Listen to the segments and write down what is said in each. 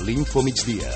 l'Info Migdia.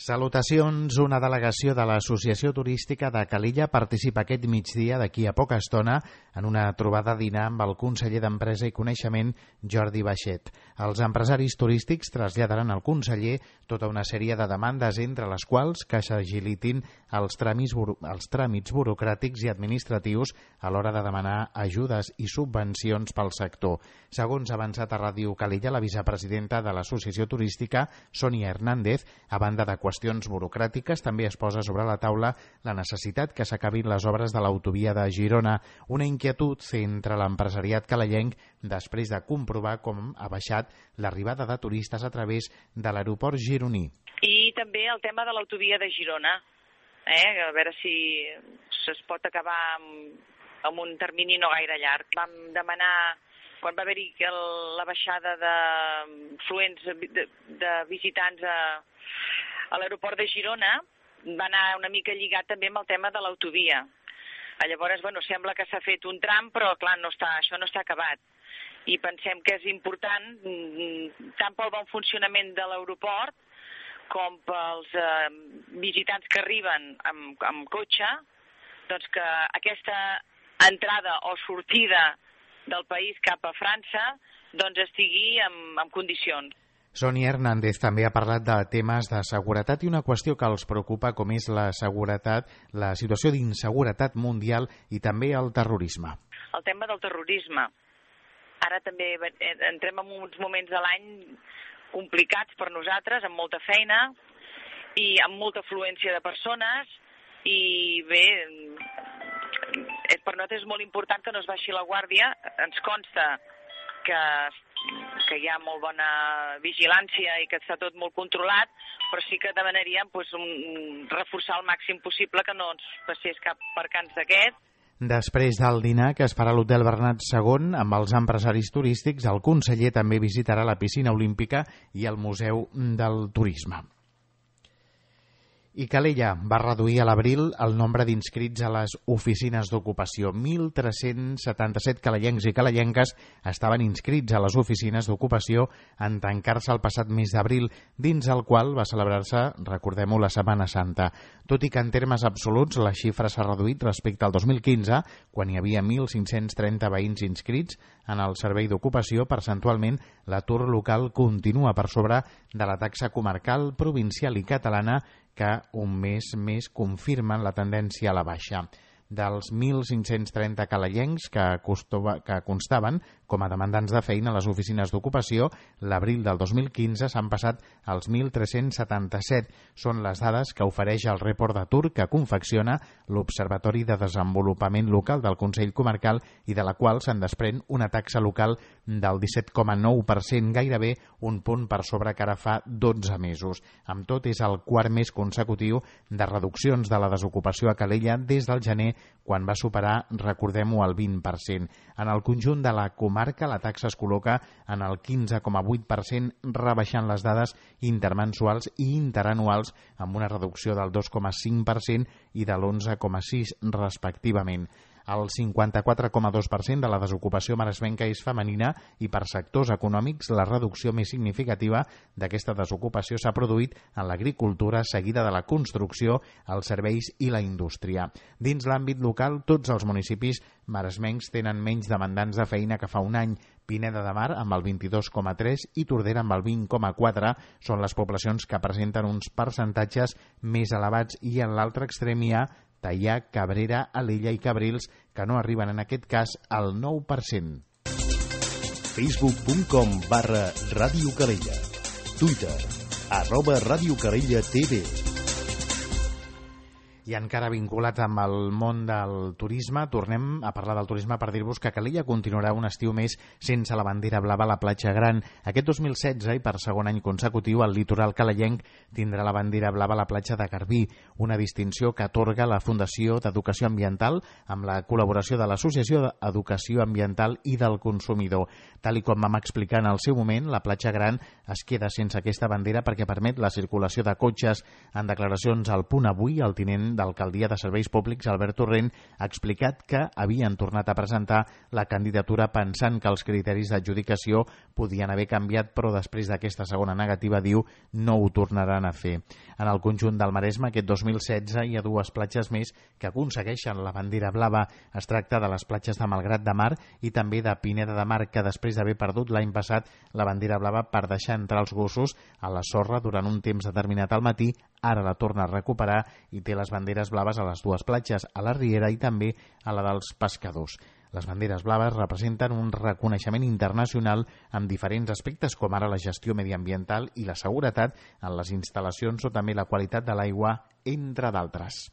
Salutacions. Una delegació de l'Associació Turística de Calella participa aquest migdia, d'aquí a poca estona, en una trobada a dinar amb el conseller d'Empresa i Coneixement, Jordi Baixet. Els empresaris turístics traslladaran al conseller tota una sèrie de demandes, entre les quals que s'agilitin els tràmits burocràtics i administratius a l'hora de demanar ajudes i subvencions pel sector. Segons ha avançat a Ràdio Calella, la vicepresidenta de l'Associació Turística, Sònia Hernández, a banda de qüestions burocràtiques, també es posa sobre la taula la necessitat que s'acabin les obres de l'autovia de Girona, una inquietud entre l'empresariat calellenc després de comprovar com ha baixat l'arribada de turistes a través de l'aeroport gironí. I també el tema de l'autovia de Girona, a veure si es pot acabar amb un termini no gaire llarg. Vam demanar, quan va haver-hi la baixada de fluents de visitants a l'aeroport de Girona, va anar una mica lligat també amb el tema de l'autovia. Llavors, sembla que s'ha fet un tram, però clar, això no està acabat. I pensem que és important, tant pel bon funcionament de l'aeroport com pels visitants que arriben amb cotxe, doncs que aquesta entrada o sortida del país cap a França doncs estigui en condicions. Sònia Hernández també ha parlat de temes de seguretat i una qüestió que els preocupa, com és la seguretat, la situació d'inseguretat mundial i també el terrorisme. El tema del terrorisme. Ara també entrem en uns moments de l'any complicats per nosaltres, amb molta feina i amb molta afluència de persones, i bé, per nosaltres és molt important que no es baixi la guàrdia. Ens consta que hi ha molt bona vigilància i que està tot molt controlat, però sí que demanaríem reforçar al màxim possible que no ens passés cap percanç d'aquest. Després del dinar, que es farà a l'Hotel Bernat II amb els empresaris turístics, el conseller també visitarà la piscina olímpica i el Museu del Turisme. I Calella va reduir a l'abril el nombre d'inscrits a les oficines d'ocupació. 1.377 calellencs i calellenques estaven inscrits a les oficines d'ocupació en tancar-se el passat mes d'abril, dins el qual va celebrar-se, recordem-ho, la Setmana Santa. Tot i que en termes absoluts la xifra s'ha reduït respecte al 2015, quan hi havia 1.530 veïns inscrits en el servei d'ocupació, percentualment l'atur local continua per sobre de la taxa comarcal, provincial i catalana, que un mes més confirmen la tendència a la baixa. Dels 1.530 calellencs que constaven com a demandants de feina a les oficines d'ocupació, l'abril del 2015 s'han passat als 1.377. Són les dades que ofereix el report d'atur que confecciona l'Observatori de Desenvolupament Local del Consell Comarcal i de la qual se'n desprèn una taxa local del 17,9%, gairebé un punt per sobre que ara fa 12 mesos. Amb tot, és el quart mes consecutiu de reduccions de la desocupació a Calella des del gener, quan va superar, recordem-ho, el 20%. En el conjunt de la comarca, la taxa es col·loca en el 15,8%, rebaixant les dades intermensuals i interanuals amb una reducció del 2,5% i de l'11,6% respectivament. El 54,2% de la desocupació maresmenca és femenina i per sectors econòmics la reducció més significativa d'aquesta desocupació s'ha produït en l'agricultura, seguida de la construcció, els serveis i la indústria. Dins l'àmbit local, tots els municipis maresmencs tenen menys demandants de feina que fa un any. Pineda de Mar amb el 22,3% i Tordera amb el 20,4% són les poblacions que presenten uns percentatges més elevats, i en l'altre extrem hi ha Teià, Cabrera, Alella i Cabrils, que no arriben en aquest cas al 9%. Facebook.com/Ràdio Calella. Twitter @Ràdio Calella TV. I encara vinculats amb el món del turisme, tornem a parlar del turisme per dir-vos que Calella continuarà un estiu més sense la bandera blava a la platja Gran. Aquest 2016, i per segon any consecutiu, el litoral calellenc tindrà la bandera blava a la platja de Garbí, una distinció que atorga la Fundació d'Educació Ambiental amb la col·laboració de l'Associació d'Educació Ambiental i del Consumidor. Tal i com vam explicar en el seu moment, la platja Gran es queda sense aquesta bandera perquè permet la circulació de cotxes. En declaracions al Punt Avui, el tinent president d'Alcaldia de Serveis Públics, Albert Torrent, ha explicat que havien tornat a presentar la candidatura pensant que els criteris d'adjudicació podien haver canviat, però després d'aquesta segona negativa, diu, no ho tornaran a fer. En el conjunt del Maresme, aquest 2016, hi ha 2 platges més que aconsegueixen la bandera blava. Es tracta de les platges de Malgrat de Mar i també de Pineda de Mar, que després d'haver perdut l'any passat la bandera blava per deixar entrar els gossos a la sorra durant un temps determinat al matí, ara la torna a recuperar i té les banderes blaves a les 2 platges, a la Riera i també a la dels pescadors. Les banderes blaves representen un reconeixement internacional amb diferents aspectes, com ara la gestió mediambiental i la seguretat en les instal·lacions o també la qualitat de l'aigua, entre d'altres.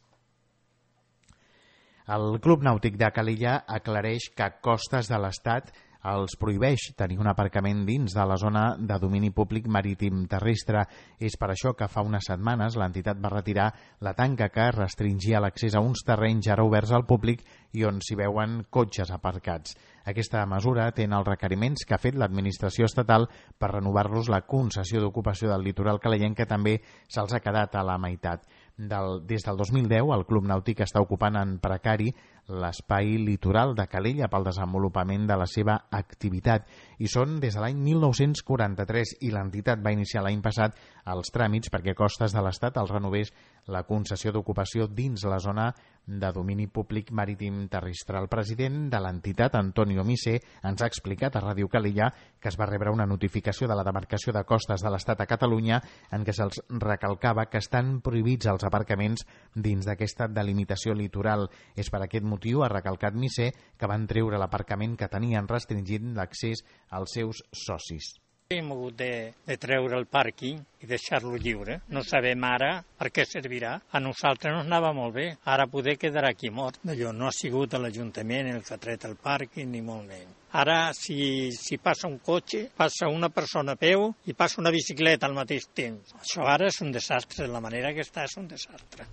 El Club Nàutic de Calella aclareix que Costes de l'Estat els prohibeix tenir un aparcament dins de la zona de domini públic marítim terrestre. És per això que fa unes setmanes l'entitat va retirar la tanca que restringia l'accés a uns terrenys ara oberts al públic i on s'hi veuen cotxes aparcats. Aquesta mesura té els requeriments que ha fet l'administració estatal per renovar-los la concessió d'ocupació del litoral calayenc, que també se'ls ha quedat a la meitat. Des del 2010, el Club Nàutic està ocupant en precari l'espai litoral de Calella pel desenvolupament de la seva activitat. I són des de l'any 1943 i l'entitat va iniciar l'any passat els tràmits perquè Costes de l'Estat els renovés la concessió d'ocupació dins la zona de domini públic marítim terrestre. El president de l'entitat, Antonio Misé, ens ha explicat a Ràdio Calella que es va rebre una notificació de la demarcació de Costes de l'Estat a Catalunya en què se'ls recalcava que estan prohibits els aparcaments dins d'aquesta delimitació litoral. És per aquest motiu, ha recalcat Misé, que van treure l'aparcament que tenien restringint l'accés als seus socis. Hem hagut de treure el pàrquing i deixar-lo lliure. No sabem ara per què servirà. A nosaltres ens anava molt bé. Ara poder quedarà aquí mort. Allò no ha sigut l'Ajuntament el que ha tret el pàrquing, ni molt menys. Ara, si passa un cotxe, passa una persona a peu i passa una bicicleta al mateix temps. Això ara és un desastre. La manera que està és un desastre.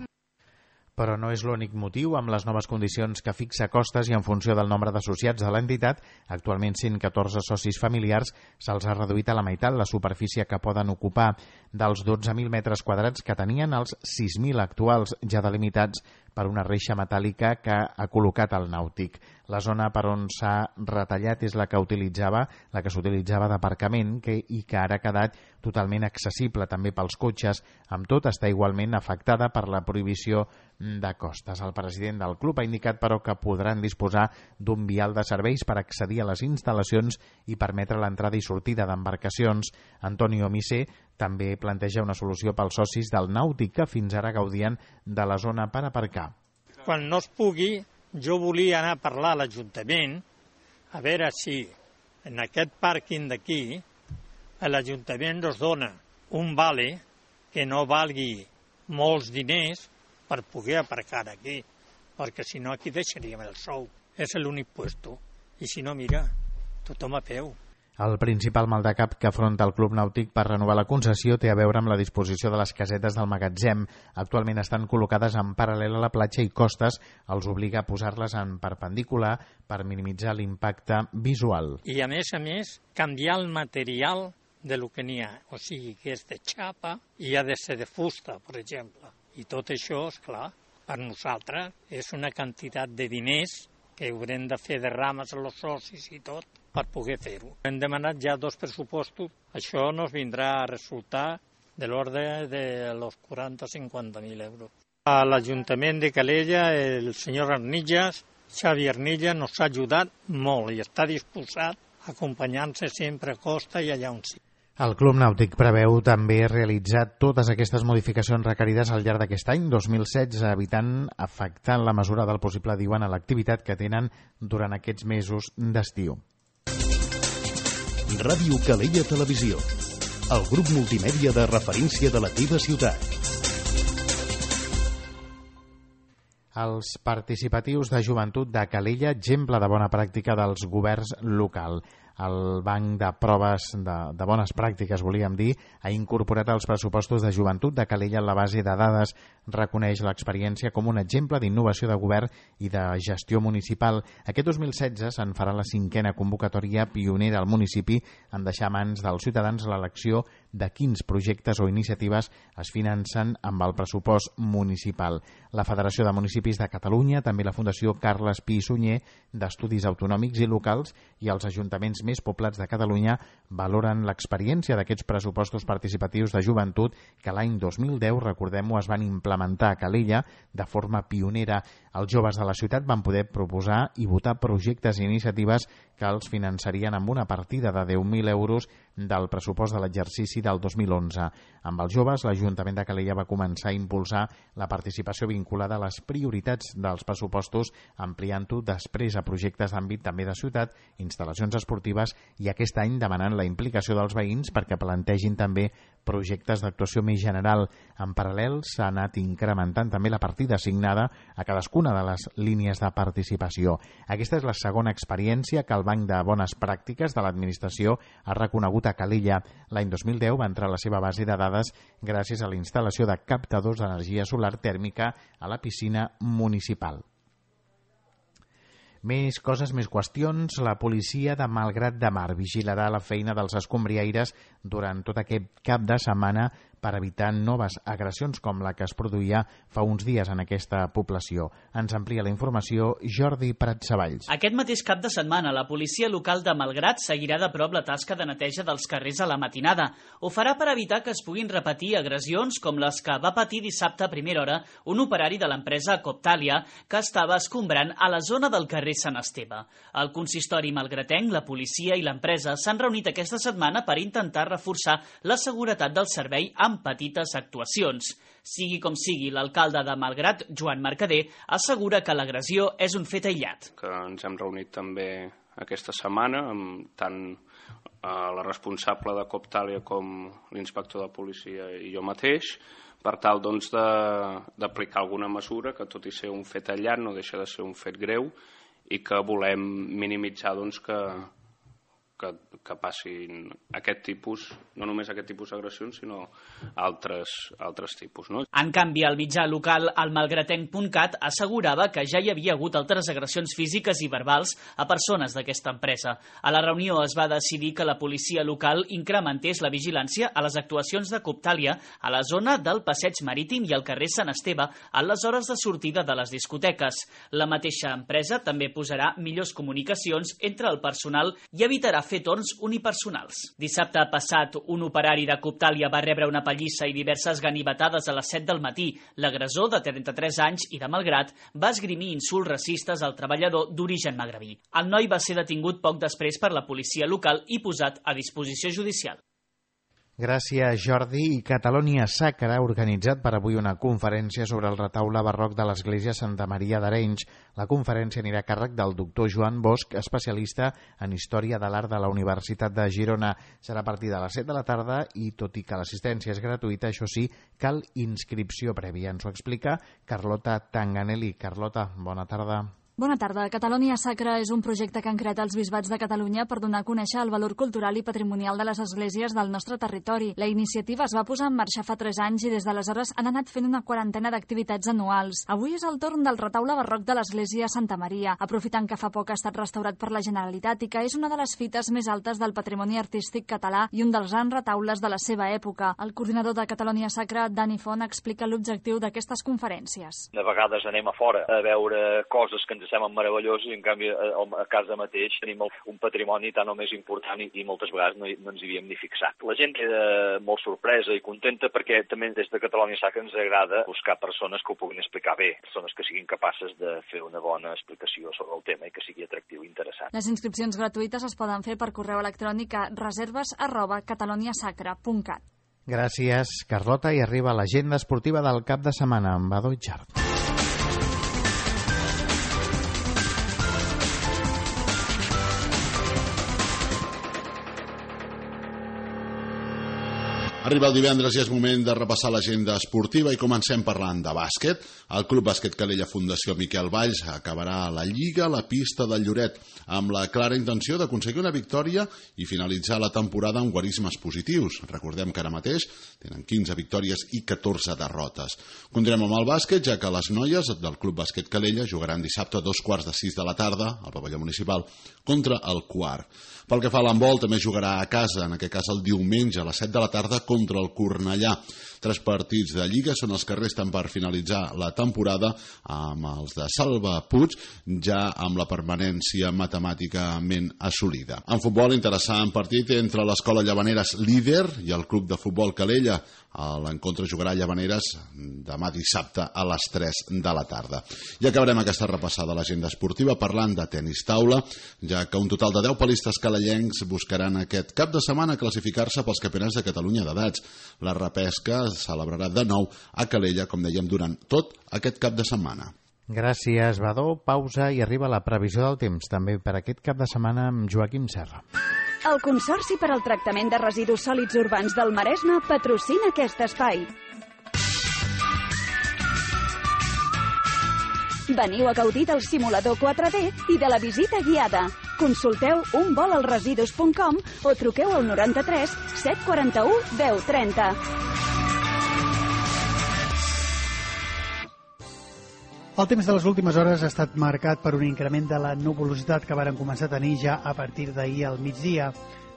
Però no és l'únic motiu. Amb les noves condicions que fixa Costes i en funció del nombre d'associats de l'entitat, actualment 114 socis familiars, se'ls ha reduït a la meitat la superfície que poden ocupar. Dels 12.000 metres quadrats que tenien, els 6.000 actuals, ja delimitats per una reixa metàl·lica que ha col·locat el nàutic. La zona per on s'ha retallat és la que s'utilitzava d'aparcament i que ara ha quedat totalment accessible també pels cotxes. Amb tot, està igualment afectada per la prohibició de Costes. El president del club ha indicat, però, que podran disposar d'un vial de serveis per accedir a les instal·lacions i permetre l'entrada i sortida d'embarcacions. Antonio Misé també planteja una solució pels socis del nàutic que fins ara gaudien de la zona per aparcar. Quan no es pugui, jo volia anar a parlar a l'Ajuntament a veure si en aquest pàrquing d'aquí l'Ajuntament ens dona un vale que no valgui molts diners per poder aparcar aquí, perquè si no aquí deixaríem el sou. És l'únic puesto. I si no, mira, tothom a peu. El principal maldecap que afronta el Club Nàutic per renovar la concessió té a veure amb la disposició de les casetes del magatzem. Actualment estan col·locades en paral·lel a la platja i Costes els obliga a posar-les en perpendicular per minimitzar l'impacte visual. I a més, canviar el material de lo que n'hi ha. O sigui, que és de xapa i ha de ser de fusta, per exemple. I tot això, és clar, per nosaltres és una quantitat de diners que haurem de fer de rames a els socis i tot per poder fer-ho. Hem demanat ja 2 pressupostos. Això nos vindrà a resultar de l'ordre de los 40-50.000 euros. A l'Ajuntament de Calella, el senyor Arnillas, Xavi Arnillas, nos ha ajudat molt i està disposat a acompanyar-se sempre a Costa i allà on sigui. El Club Nàutic preveu també realitzar totes aquestes modificacions requerides al llarg d'aquest any 2016, evitant afectar la mesura del possible, diuen, a l'activitat que tenen durant aquests mesos d'estiu. Ràdio Calella Televisió, el grup multimèdia de referència de la teva ciutat. Els participatius de joventut de Calella, exemple de bona pràctica dels governs locals. el Banc de Proves de Bones Pràctiques, volíem dir, ha incorporat als pressupostos de joventut de Calella en la base de dades, reconeix l'experiència com un exemple d'innovació de govern i de gestió municipal. Aquest 2016 se'n farà la 5a convocatòria pionera al municipi en deixar a mans dels ciutadans l'elecció de quins projectes o iniciatives es financen amb el pressupost municipal. La Federació de Municipis de Catalunya, també la Fundació Carles Pi i Sunyer d'Estudis Autonòmics i Locals i els ajuntaments més poblats de Catalunya valoren l'experiència d'aquests pressupostos participatius de joventut que l'any 2010, recordem-ho, es van implementar a Calella de forma pionera. Els joves de la ciutat van poder proposar i votar projectes i iniciatives que els finançarien amb una partida de 10.000 euros del pressupost de l'exercici del 2011. Amb els joves, l'Ajuntament de Calella va començar a impulsar la participació vinculada a les prioritats dels pressupostos, ampliant-ho després a projectes d'àmbit també de ciutat, instal·lacions esportives i aquest any demanant la implicació dels veïns perquè plantegin també projectes d'actuació més general. En paral·lel, s'ha anat incrementant també la partida assignada a cadascuna de les línies de participació. Aquesta és la segona experiència que el Banc de Bones Pràctiques de l'Administració ha reconegut a Calella. L'any 2010 va entrar a la seva base de dades gràcies a la instal·lació de captadors d'energia solar tèrmica a la piscina municipal. Més coses, més qüestions. La policia de Malgrat de Mar vigilarà la feina dels escombriaires durant tot aquest cap de setmana per evitar noves agressions com la que es produïa fa uns dies en aquesta població. Ens amplia la informació Jordi Prat-Savalls. Aquest mateix cap de setmana, la policia local de Malgrat seguirà de prop la tasca de neteja dels carrers a la matinada. Ho farà per evitar que es puguin repetir agressions com les que va patir dissabte a primera hora un operari de l'empresa Coptalia que estava escombrant a la zona del carrer Sant Esteve. El consistori malgratenc, la policia i l'empresa s'han reunit aquesta setmana per intentar reforçar la seguretat del servei amb petites actuacions. Sigui com sigui, l'alcalde de Malgrat, Joan Mercader, assegura que l'agressió és un fet aïllat. Que ens hem reunit també aquesta setmana amb tant la responsable de Coptalia com l'inspector de policia i jo mateix, per tal doncs, d'aplicar alguna mesura que, tot i ser un fet aïllat, no deixa de ser un fet greu i que volem minimitzar doncs, que passin aquest tipus, no només aquest tipus d'agressions, sinó altres tipus. No? En canvi, el mitjà local, el malgratenc.cat, assegurava que ja hi havia hagut altres agressions físiques i verbals a persones d'aquesta empresa. A la reunió es va decidir que la policia local incrementés la vigilància a les actuacions de Coptalia a la zona del Passeig Marítim i al carrer Sant Esteve a les hores de sortida de les discoteques. La mateixa empresa també posarà millors comunicacions entre el personal i evitarà fer torns unipersonals. Dissabte passat, un operari de Coptalia va rebre una pallissa i diverses ganivetades a les 7 del matí. L'agressor, de 33 anys i de Malgrat, va esgrimir insults racistes al treballador d'origen magrebí. El noi va ser detingut poc després per la policia local i posat a disposició judicial. Gràcies, Jordi. I Catalonia Sacra ha organitzat per avui una conferència sobre el retaule barroc de l'Església Santa Maria d'Arenys. La conferència anirà a càrrec del doctor Joan Bosch, especialista en Història de l'Art de la Universitat de Girona. Serà a partir de les 7 de la tarda i, tot i que l'assistència és gratuïta, això sí, cal inscripció prèvia. Ens ho explica Carlota Tanganelli. Carlota, bona tarda. Bona tarda. Catalonia Sacra és un projecte que han creat els bisbats de Catalunya per donar a conèixer el valor cultural i patrimonial de les esglésies del nostre territori. La iniciativa es va posar en marxa fa 3 anys i des d'aleshores han anat fent una quarantena d'activitats anuals. Avui és el torn del retaule barroc de l'església Santa Maria, aprofitant que fa poc ha estat restaurat per la Generalitat i que és una de les fites més altes del patrimoni artístic català i un dels grans retaules de la seva època. El coordinador de Catalonia Sacra, Dani Font, explica l'objectiu d'aquestes conferències. De vegades anem a fora a veure coses que ens semblen meravellosos i en canvi a casa mateix tenim un patrimoni tan o més important i moltes vegades no ens hi havíem ni fixat. La gent queda molt sorpresa i contenta perquè també des de Catalonia Sacra ens agrada buscar persones que ho puguin explicar bé, persones que siguin capaces de fer una bona explicació sobre el tema i que sigui atractiu i interessant. Les inscripcions gratuïtes es poden fer per correu electrònic a reserves@cataloniasacra.cat. Gràcies, Carlota. I arriba l'agenda esportiva del cap de setmana amb Badó Itxart. Arriba el divendres i és moment de repassar l'agenda esportiva i comencem parlant de bàsquet. El Club Bàsquet Calella Fundació Miquel Valls acabarà la Lliga a la pista del Lloret amb la clara intenció d'aconseguir una victòria i finalitzar la temporada amb guarismes positius. Recordem que ara mateix tenen 15 victòries i 14 derrotes. Continuem amb el bàsquet, ja que les noies del Club Bàsquet Calella jugaran dissabte a 2:45 de la tarda al pavelló municipal contra el Quart. Pel que fa a l'handbol, també jugarà a casa, en aquest cas el diumenge a les 7 de la tarda contra el Cornellà. 3 partits de Lliga són els que resten per finalitzar la temporada, amb els de Salva Puig ja amb la permanència matemàticament assolida. En futbol, interessant partit entre l'Escola Llavaneres líder i el Club de Futbol Calella. L'encontre jugarà a Llavaneres demà dissabte a les 3 de la tarda. I acabarem aquesta repassada a l'agenda esportiva parlant de tenis taula, ja que un total de 10 palistes calellencs buscaran aquest cap de setmana classificar-se pels campionats de Catalunya d'edats. La repesca es celebrarà de nou a Calella, com dèiem, durant tot aquest cap de setmana. Gràcies, Badó. Pausa i arriba la previsió del temps, també per aquest cap de setmana amb Joaquim Serra. El Consorci per al Tractament de Residus Sòlids Urbans del Maresme patrocina aquest espai. Veniu a gaudir del simulador 4D i de la visita guiada. Consulteu unvolalresidus.com o truqueu al 93 741 1030. El temps de les últimes hores ha estat marcat per un increment de la nuvolositat que varen començar a tenir ja a partir d'ahir al migdia.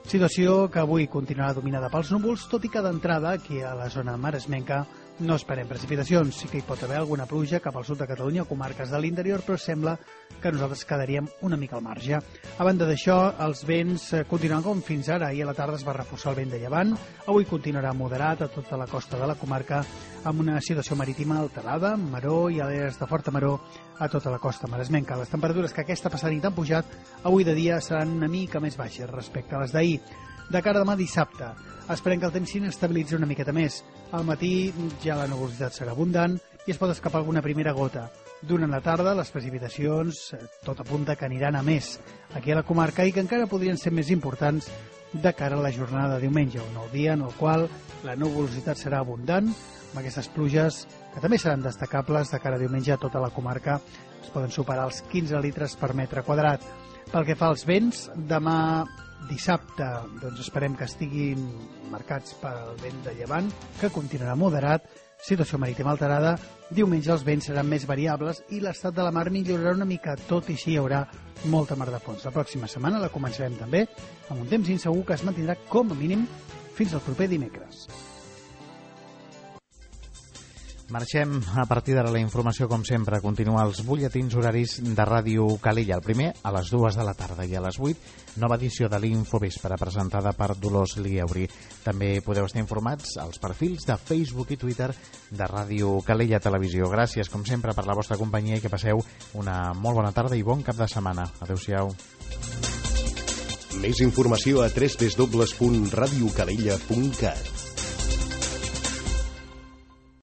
Situació que avui continuarà dominada pels núvols, tot i que d'entrada, aquí a la zona maresmenca, no esperem precipitacions. Sí que hi pot haver alguna pluja cap al sud de Catalunya o comarques de l'interior, però sembla que nosaltres quedaríem una mica al marge. A banda d'això, els vents continuen com fins ara. Ahir a la tarda es va reforçar el vent de llevant. Avui continuarà moderat a tota la costa de la comarca, amb una situació marítima alterada, maró i aleres de forta maró a tota la costa maresmenca. Les temperatures que aquesta passada nit han pujat avui de dia seran una mica més baixes respecte a les d'ahir. De cara a demà dissabte, esperem que el temps s'inestabilitzi una miqueta més. Al matí ja la nuvolositat serà abundant i es pot escapar alguna primera gota. Durant la tarda, les precipitacions tot apunta que aniran a més aquí a la comarca i que encara podrien ser més importants de cara a la jornada de diumenge, un nou dia en el qual la nuvolositat serà abundant, amb aquestes pluges que també seran destacables de cara a diumenge a tota la comarca. Es poden superar els 15 litres per metre quadrat. Pel que fa als vents, demà dissabte doncs esperem que estiguin marcats pel vent de llevant, que continuarà moderat, situació marítima alterada. Diumenge els vents seran més variables i l'estat de la mar millorarà una mica, tot i així hi haurà molta mar de fons. La pròxima setmana la començarem també amb un temps insegur que es mantindrà com a mínim fins al proper dimecres. Marxem a partir d'ara la informació, com sempre. Continua els butlletins horaris de Ràdio Calella. El primer a les 2 de la tarda i a les 8, nova edició de l'Infovespre presentada per Dolors Lieuri. També podeu estar informats als perfils de Facebook i Twitter de Ràdio Calella Televisió. Gràcies, com sempre, per la vostra companyia i que passeu una molt bona tarda i bon cap de setmana. Adéu-siau. Més informació a www.radiocalella.cat.